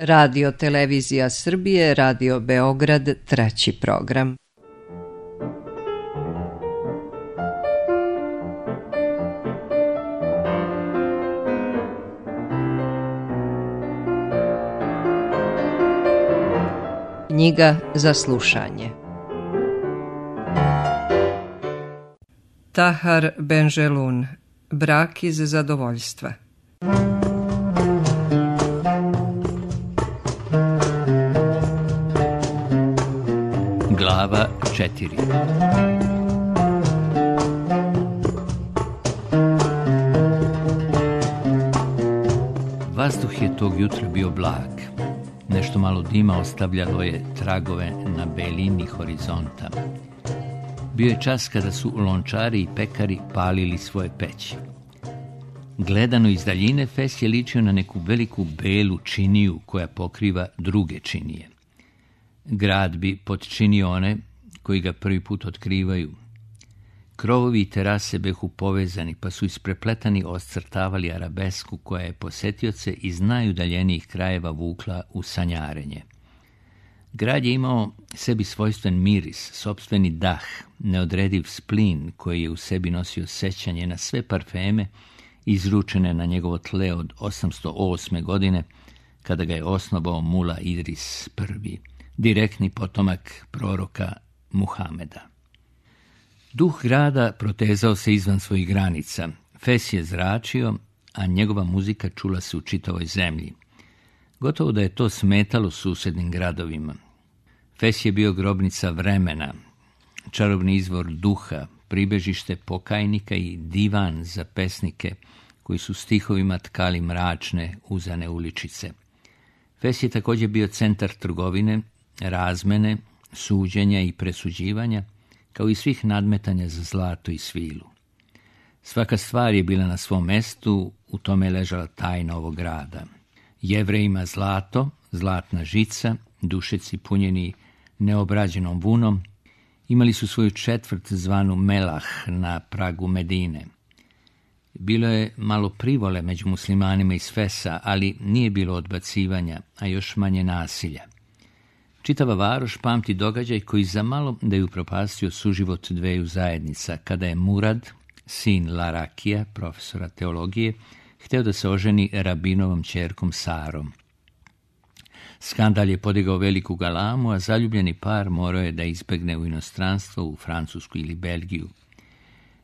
Radio Televizija Srbije, Radio Beograd, treći program. Knjiga za slušanje. Tahar Benjelun, Brak iz zadovoljstva. Glava 4. Vazduh je tog jutra bio blag. Nešto malo dima ostavljalo je tragove na belini horizonta. Bio je čas kada su lončari i pekari palili svoje peći. Gledano iz daljine, Fes je ličio na neku veliku belu činiju koja pokriva druge činije. Grad bi potčinio one koji ga prvi put otkrivaju. Krovovi i terase behu povezani, pa su isprepletani oscrtavali arabesku koja je posetioce iz najudaljenijih krajeva vukla u sanjarenje. Grad je imao sebi svojstven miris, sopstveni dah, neodrediv splin koji je u sebi nosio sećanje na sve parfeme izručene na njegovo tle od 808. godine, kada ga je osnovao Mula Idris I, direktni potomak proroka Muhameda. Duh grada protezao se izvan svojih granica. Fes je zračio, a njegova muzika čula se u čitavoj zemlji. Gotovo da je to smetalo susednim gradovima. Fes je bio grobnica vremena, čarobni izvor duha, pribežište pokajnika i divan za pesnike koji su stihovima tkali mračne, uzane uličice. Fes je također bio centar trgovine, razmene, suđenja i presuđivanja, kao i svih nadmetanja za zlato i svilu. Svaka stvar je bila na svom mestu, u tome je ležala tajna ovog grada. Jevrejima zlato, zlatna žica, dušeci punjeni neobrađenom vunom, imali su svoju četvrt zvanu Melah na pragu Medine. Bilo je malo privole među muslimanima iz Fesa, ali nije bilo odbacivanja, a još manje nasilja. Čitava varoš pamti događaj koji za malo da je upropastio suživot dveju zajednica, kada je Murad, sin Larakija, profesora teologije, hteo da se oženi rabinovom ćerkom Sarom. Skandal je podigao veliku galamu, a zaljubljeni par morao je da izbegne u inostranstvo, u Francusku ili Belgiju.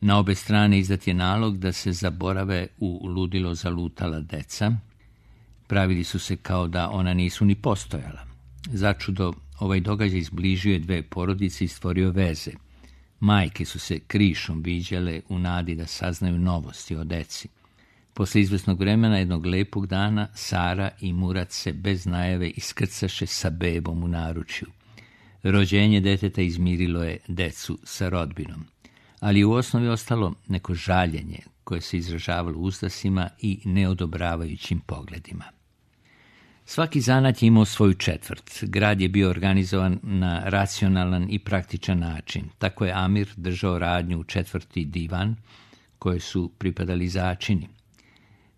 Na obe strane izdat je nalog da se zaborave u ludilo zalutala deca. Pravili su se kao da ona nisu ni postojala. Začudo, ovaj događaj izbližio je dve porodice i stvorio veze. Majke su se krišom viđale u nadi da saznaju novosti o deci. Posle izvesnog vremena, jednog lepog dana, Sara i Murat se bez najave iskrcaše sa bebom u naručju. Rođenje deteta izmirilo je decu sa rodbinom, ali u osnovi ostalo neko žaljenje koje se izražavalo uzdasima i neodobravajućim pogledima. Svaki zanat je imao svoju četvrt. Grad je bio organizovan na racionalan i praktičan način. Tako je Amir držao radnju u četvrti divan, koje su pripadali začini.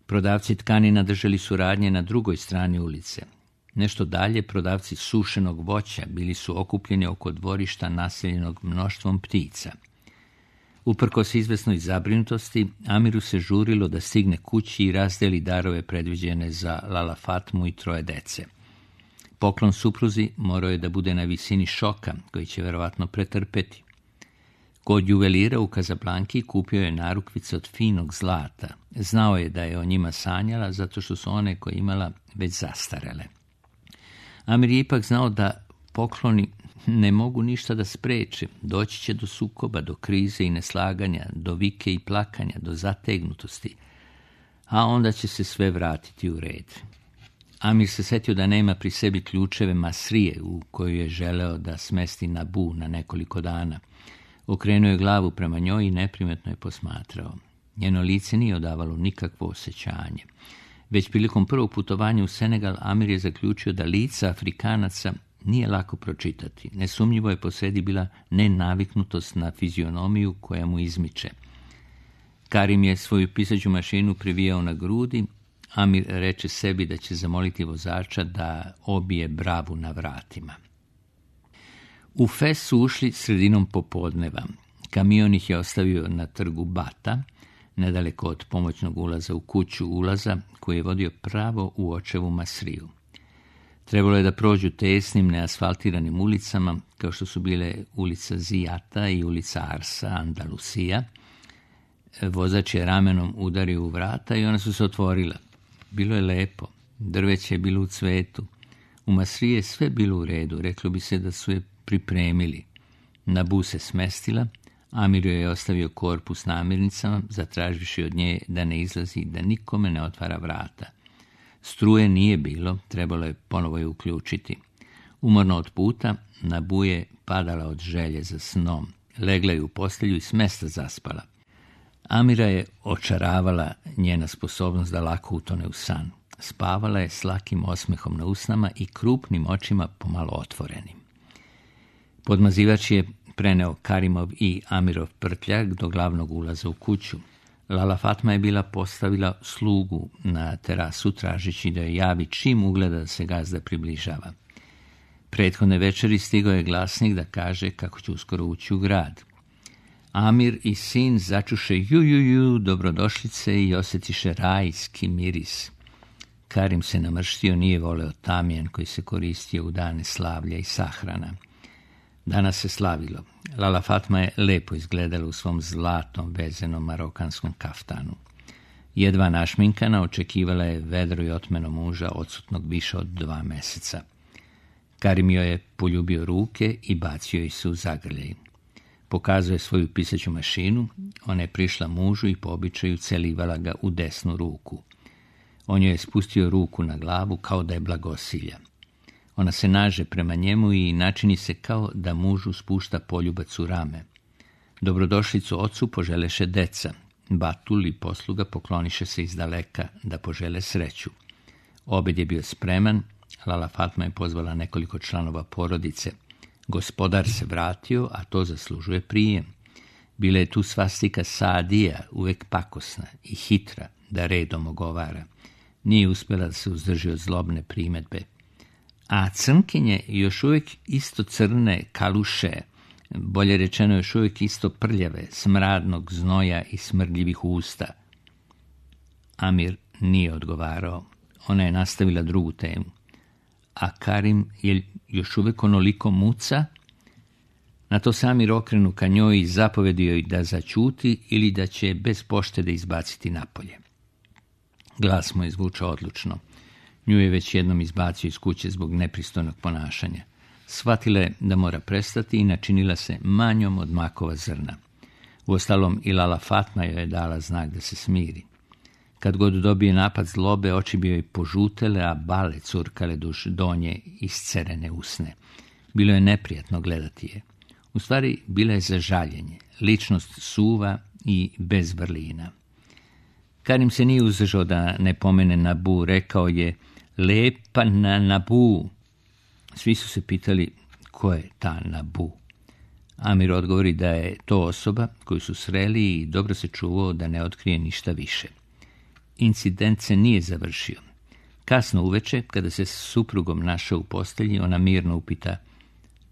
Prodavci tkanina držali su radnje na drugoj strani ulice. Nešto dalje, prodavci sušenog voća bili su okupljeni oko dvorišta naseljenog mnoštvom ptica. Uprkos izvesnoj zabrinutosti, Amiru se žurilo da stigne kući i razdeli darove predviđene za Lala Fatmu i troje dece. Poklon supruzi morao je da bude na visini šoka, koji će verovatno pretrpeti. Kod juvelira u Kazablanki kupio je narukvice od finog zlata. Znao je da je o njima sanjala, zato što su one koje imala već zastarele. Amir je ipak znao da pokloni ne mogu ništa da spreče. Doći će do sukoba, do krize i neslaganja, do vike i plakanja, do zategnutosti. A onda će se sve vratiti u red. Amir se setio da nema pri sebi ključeve Masrije u koju je želeo da smesti Nabu na nekoliko dana. Okrenuo je glavu prema njoj i neprimetno je posmatrao. Njeno lice nije odavalo nikakvo osjećanje. Već prilikom prvog putovanja u Senegal, Amir je zaključio da lica Afrikanaca nije lako pročitati. Nesumnjivo je posredi bila nenaviknutost na fizionomiju koja mu izmiče. Karim je svoju pisaću mašinu privijao na grudi, Amir reče sebi da će zamoliti vozača da obije bravu na vratima. U Fes su ušli sredinom popodneva. Kamion ih je ostavio na trgu Bata, nedaleko od pomoćnog ulaza u kuću ulaza koji je vodio pravo u očevu Masriju. Trebalo je da prođu tesnim, neasfaltiranim ulicama, kao što su bile ulica Zijata i ulica Arsa, Andalusija. Vozač je ramenom udario u vrata i ona su se otvorila. Bilo je lepo, drveće je bilo u cvetu. U Masriji je sve bilo u redu, reklo bi se da su je pripremili. Nabu se smestila, Amir joj je ostavio korpu s namirnicama, zatraživši od nje da ne izlazi, da nikome ne otvara vrata. Struje nije bilo, trebalo je ponovo je uključiti. Umorno od puta, Nabu je padala od želje za snom. Legla je u postelju i s mesta zaspala. Amira je očaravala njena sposobnost da lako utone u san. Spavala je s lakim osmehom na usnama i krupnim očima pomalo otvorenim. Podmazivač je preneo Karimov i Amirov prtljak do glavnog ulaza u kuću. Lala Fatma je bila postavila slugu na terasu tražeći da je javi čim ugleda da se gazda približava. Prethodne večeri stigao je glasnik da kaže kako će uskoro ući u grad. Amir i sin začuše ju, dobrodošlice i osjetiše rajski miris. Karim se namrštio, nije voleo tamjan koji se koristio u dane slavlja i sahrana. Danas se slavilo. Lala Fatma je lepo izgledala u svom zlatom vezenom marokanskom kaftanu. Jedva našminkana očekivala je vedro i otmeno muža odsutnog više od 2 meseca. Karim joj je poljubio ruke i bacio ih se u zagrljaj. Pokazao je svoju pisaću mašinu, ona je prišla mužu i po običaju celivala ga u desnu ruku. On joj je spustio ruku na glavu kao da je blagosilja. Ona se naže prema njemu i načini se kao da mužu spušta poljubac u rame. Dobrodošlicu ocu poželeše deca. Batul i posluga pokloniše se izdaleka da požele sreću. Obed je bio spreman, Lala Fatma je pozvala nekoliko članova porodice. Gospodar se vratio, a to zaslužuje prijem. Bila je tu svastika Saadija, uvek pakosna i hitra, da redom ogovara. Nije uspjela da se uzdrži od zlobne primedbe. A crnkinje još uvijek isto crne, kaluše, bolje rečeno još uvijek isto prljave, smradnog znoja i smrdljivih usta. Amir nije odgovarao. Ona je nastavila drugu temu. A Karim je još uvijek onoliko muca? Na to se Amir okrenu ka njoj i zapovedio joj da zaćuti ili da će bez poštede izbaciti napolje. Glas mu je zvučao odlučno. Nju je već jednom izbacio iz kuće zbog nepristojnog ponašanja. Shvatila je da mora prestati i načinila se manjom od makova zrna. Uostalom i Lala Fatma joj je dala znak da se smiri. Kad god dobije napad zlobe, oči bi joj požutele, a bale curkale duž donje iscerene usne. Bilo je neprijatno gledati je. U stvari, bila je za žaljenje, ličnost suva i bez vrlina. Karim se nije uzdržao da ne pomene Nabu, rekao je lepa na Nabu. Svi su se pitali ko je ta Nabu. Amir odgovori da je to osoba koju su sreli i dobro se čuvao da ne otkrije ništa više. Incident se nije završio. Kasno uveče, kada se s suprugom našao u postelji, ona mirno upita: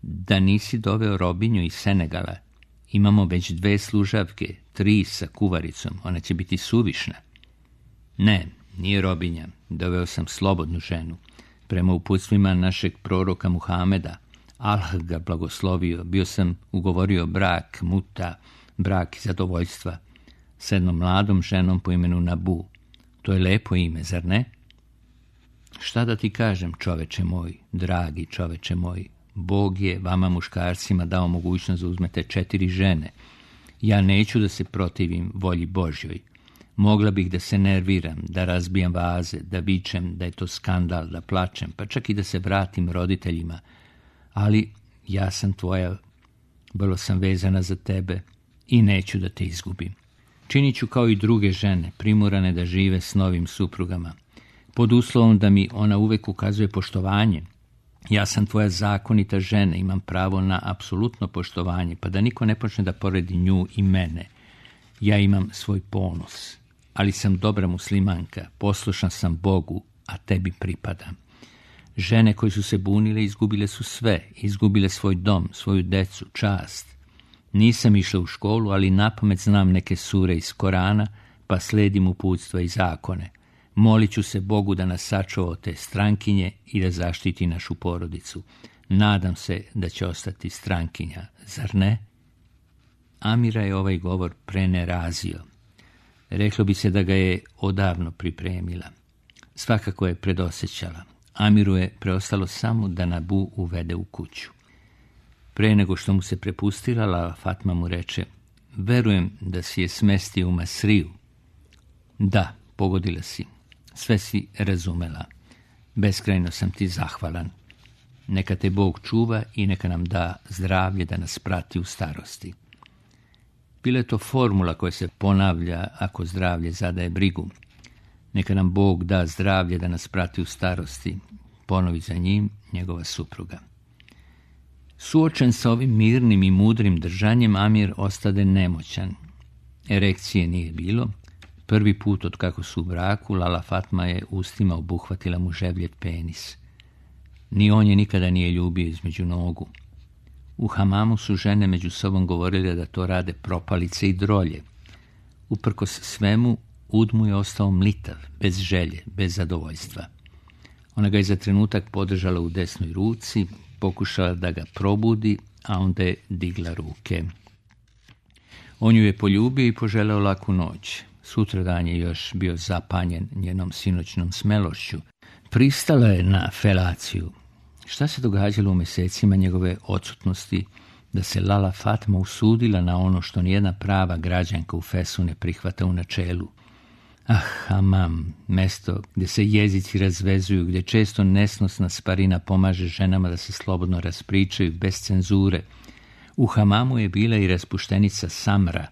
da nisi doveo robinju iz Senegala? Imamo već 2 služavke, 3 sa kuvaricom, ona će biti suvišna. Ne, nije robinja, doveo sam slobodnu ženu. Prema uputstvima našeg proroka Muhameda, Allah ga blagoslovio, bio sam ugovorio brak, muta, brak i zadovoljstva, s jednom mladom ženom po imenu Nabu. To je lepo ime, zar ne? Šta da ti kažem, čoveče moj, dragi čoveče moj, Bog je vama muškarcima dao mogućnost da uzmete 4 žene. Ja neću da se protivim volji Božjoj. Mogla bih da se nerviram, da razbijam vaze, da vičem da je to skandal, da plačem, pa čak i da se vratim roditeljima. Ali ja sam tvoja, vrlo sam vezana za tebe i neću da te izgubim. Činit ću kao i druge žene, primorane da žive s novim suprugama, pod uslovom da mi ona uvek ukazuje poštovanje. Ja sam tvoja zakonita žena, imam pravo na apsolutno poštovanje, pa da niko ne počne da poredi nju i mene. Ja imam svoj ponos, ali sam dobra muslimanka, poslušna sam Bogu, a tebi pripadam. Žene koje su se bunile izgubile su sve, izgubile svoj dom, svoju decu, čast. Nisam išla u školu, ali napamet znam neke sure iz Korana, pa sledim uputstva i zakone. Molit ću se Bogu da nas sačuva od te strankinje i da zaštiti našu porodicu. Nadam se da će ostati strankinja, zar ne? Amira je ovaj govor prenerazio. Reklo bi se da ga je odavno pripremila. Svakako je predosjećala. Amiru je preostalo samo da Nabu uvede u kuću. Pre nego što mu se prepustila, Lala Fatma mu reče: verujem da si je smestio u Masriju. Da, pogodila si. Sve si razumela. Beskrajno sam ti zahvalan. Neka te Bog čuva i neka nam da zdravlje da nas prati u starosti. Bila je to formula koja se ponavlja ako zdravlje zadaje brigu. Neka nam Bog da zdravlje da nas prati u starosti, ponovi za njim njegova supruga. Suočen sa ovim mirnim i mudrim držanjem, Amir ostade nemoćan. Erekcije nije bilo. Prvi put od kako su u braku, Lala Fatma je ustima obuhvatila mu ževljet penis. Ni on je nikada nije ljubio između nogu. U hamamu su žene među sobom govorile da to rade propalice i drolje. Uprkos svemu, ud mu je ostao mlitav, bez želje, bez zadovoljstva. Ona ga je za trenutak podržala u desnoj ruci, pokušala da ga probudi, a onda je digla ruke. On ju je poljubio i poželeo laku noć. Sutradan je još bio zapanjen njenom sinoćnom smelošću. Pristala je na felaciju. Šta se događalo u mjesecima njegove odsutnosti da se Lala Fatma usudila na ono što nijedna prava građanka u Fesu ne prihvata u načelu? Hamam, mesto gdje se jezici razvezuju, gdje često nesnosna sparina pomaže ženama da se slobodno raspričaju bez cenzure. U hamamu je bila i raspuštenica Samra,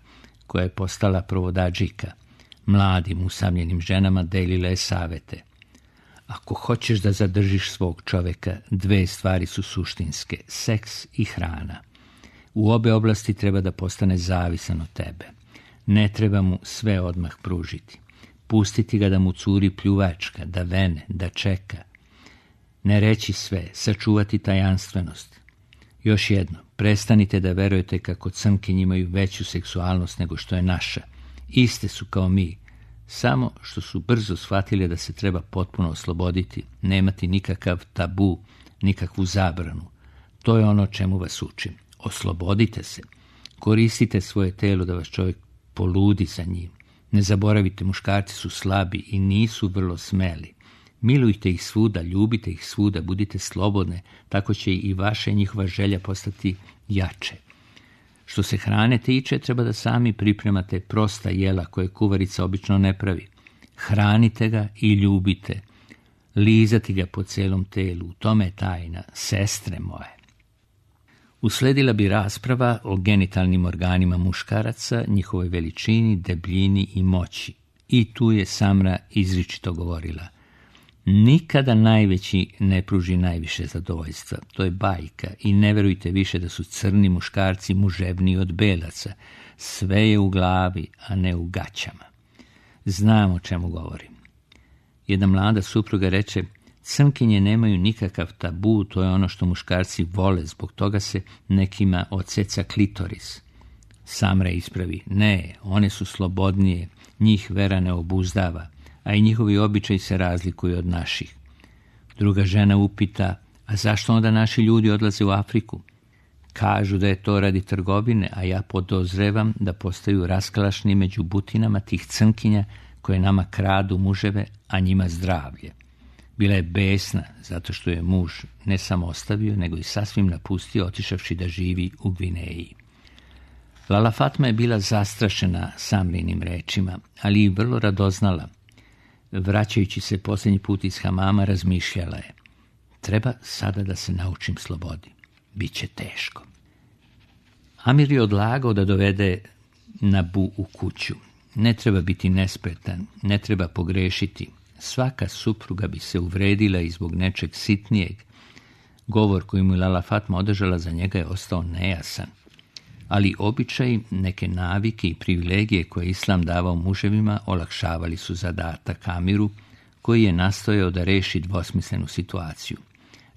koja je postala provodadžika. Mladim, usamljenim ženama delila je savete. Ako hoćeš da zadržiš svog čoveka, dve stvari su suštinske, seks i hrana. U obe oblasti treba da postane zavisan od tebe. Ne treba mu sve odmah pružiti. Pustiti ga da mu curi pljuvačka, da vene, da čeka. Ne reći sve, sačuvati tajanstvenost. Još jedno, prestanite da verujete kako crnkinje imaju veću seksualnost nego što je naša. Iste su kao mi, samo što su brzo shvatili da se treba potpuno osloboditi, nemati nikakav tabu, nikakvu zabranu. To je ono čemu vas učim. Oslobodite se. Koristite svoje telo da vas čovjek poludi za njim. Ne zaboravite, muškarci su slabi i nisu vrlo smeli. Milujte ih svuda, ljubite ih svuda, budite slobodne, tako će i vaša i njihova želja postati jače. Što se hrane tiče, treba da sami pripremate prosta jela koje kuvarica obično ne pravi. Hranite ga i ljubite. Lizati ga po celom telu, u tome je tajna, sestre moje. Usledila bi rasprava o genitalnim organima muškaraca, njihovoj veličini, debljini i moći. I tu je Samra izričito govorila: nikada najveći ne pruži najviše zadovoljstva. To je bajka i ne verujte više da su crni muškarci muževniji od belaca. Sve je u glavi, a ne u gaćama. Znam o čemu govorim. Jedna mlada supruga reče: crnkinje nemaju nikakav tabu, to je ono što muškarci vole, zbog toga se nekima odseca klitoris. Samra ispravi: ne, one su slobodnije, njih vera ne obuzdava, a i njihovi običaji se razlikuju od naših. Druga žena upita: a zašto onda naši ljudi odlaze u Afriku? Kažu da je to radi trgovine, a ja podozrevam da postaju raskalašni među butinama tih crnkinja koje nama kradu muževe, a njima zdravlje. Bila je besna zato što je muž ne samo ostavio, nego i sasvim napustio, otišavši da živi u Gvineji. Lala Fatma je bila zastrašena Samrinim rečima, ali i vrlo radoznala. Vraćajući se posljednji put iz hamama, razmišljala je: treba sada da se naučim slobodi. Biće teško. Amir je odlagao da dovede Nabu u kuću. Ne treba biti nespretan, ne treba pogrešiti. Svaka supruga bi se uvredila i zbog nečeg sitnijeg. Govor koji mu je Lala Fatma održala za njega je ostao nejasan. ali običaji, neke navike i privilegije koje Islam davao muževima olakšavali su zadatak Amiru, koji je nastojao da reši dvosmislenu situaciju.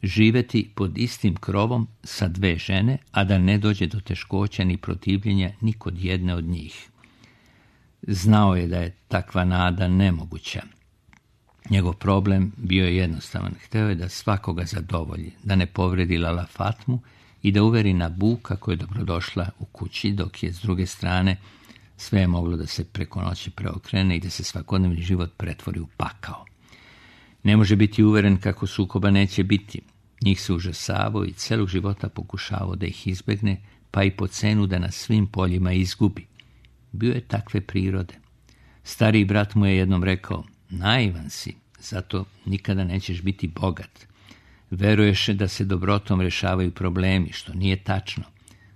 Živeti pod istim krovom sa dve žene, a da ne dođe do teškoća ni protivljenja ni kod jedne od njih. Znao je da je takva nada nemoguća. Njegov problem bio je jednostavan. Hteo je da svakoga zadovolji, da ne povredi Lala Fatmu i da uveri Nabu kako je dobrodošla u kući, dok je s druge strane sve je moglo da se preko noći preokrene i da se svakodnevni život pretvori u pakao. Ne može biti uveren kako sukoba neće biti. Njih se užasavao i celog života pokušavao da ih izbegne, pa i po cenu da na svim poljima izgubi. Bio je takve prirode. Stariji brat mu je jednom rekao: naivan si, zato nikada nećeš biti bogat. Veruješ da se dobrotom rešavaju problemi, što nije tačno.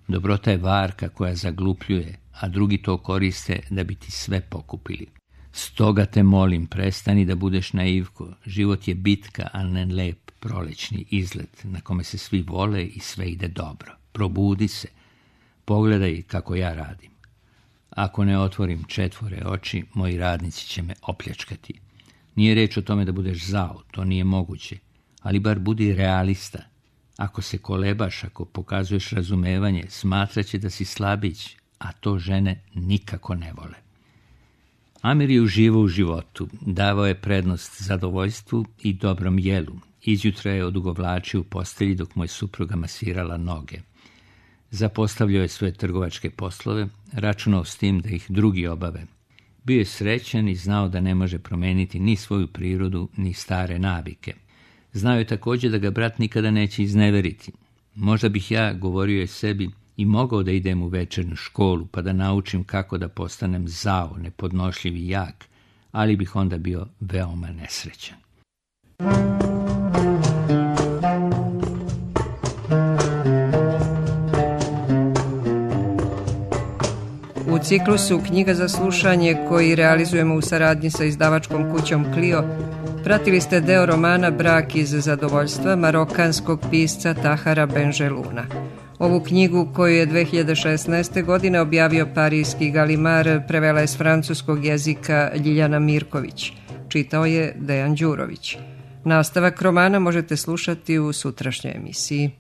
Dobrota je varka koja zaglupljuje, a drugi to koriste da bi ti sve pokupili. Stoga te molim, prestani da budeš naivko. Život je bitka, a ne lep prolećni izlet na kome se svi vole i sve ide dobro. Probudi se. Pogledaj kako ja radim. Ako ne otvorim 4 oči, moji radnici će me opljačkati. Nije reč o tome da budeš zao, to nije moguće, ali bar budi realista. Ako se kolebaš, ako pokazuješ razumevanje, smatraće da si slabić, a to žene nikako ne vole. Amir je uživao u životu, davao je prednost zadovoljstvu i dobrom jelu. Izjutra je odugovlačio u postelji dok mu je supruga masirala noge. Zapostavljao je svoje trgovačke poslove, računao s tim da ih drugi obave. Bio je srećan i znao da ne može promeniti ni svoju prirodu, ni stare navike. Znao je također da ga brat nikada neće izneveriti. Možda bih ja, govorio je sebi, i mogao da idem u večernju školu pa da naučim kako da postanem zao, nepodnošljiv i jak, ali bih onda bio veoma nesrećan. U ciklusu Knjiga za slušanje, koji realizujemo u saradnji sa izdavačkom kućom Clio, pratili ste deo romana Brak iz zadovoljstva marokanskog pisca Tahara Benjeluna. Ovu knjigu, koju je 2016. godine objavio parijski Galimar, prevela je s francuskog jezika Ljiljana Mirković. Čitao je Dejan Đurović. Nastavak romana možete slušati u sutrašnjoj emisiji.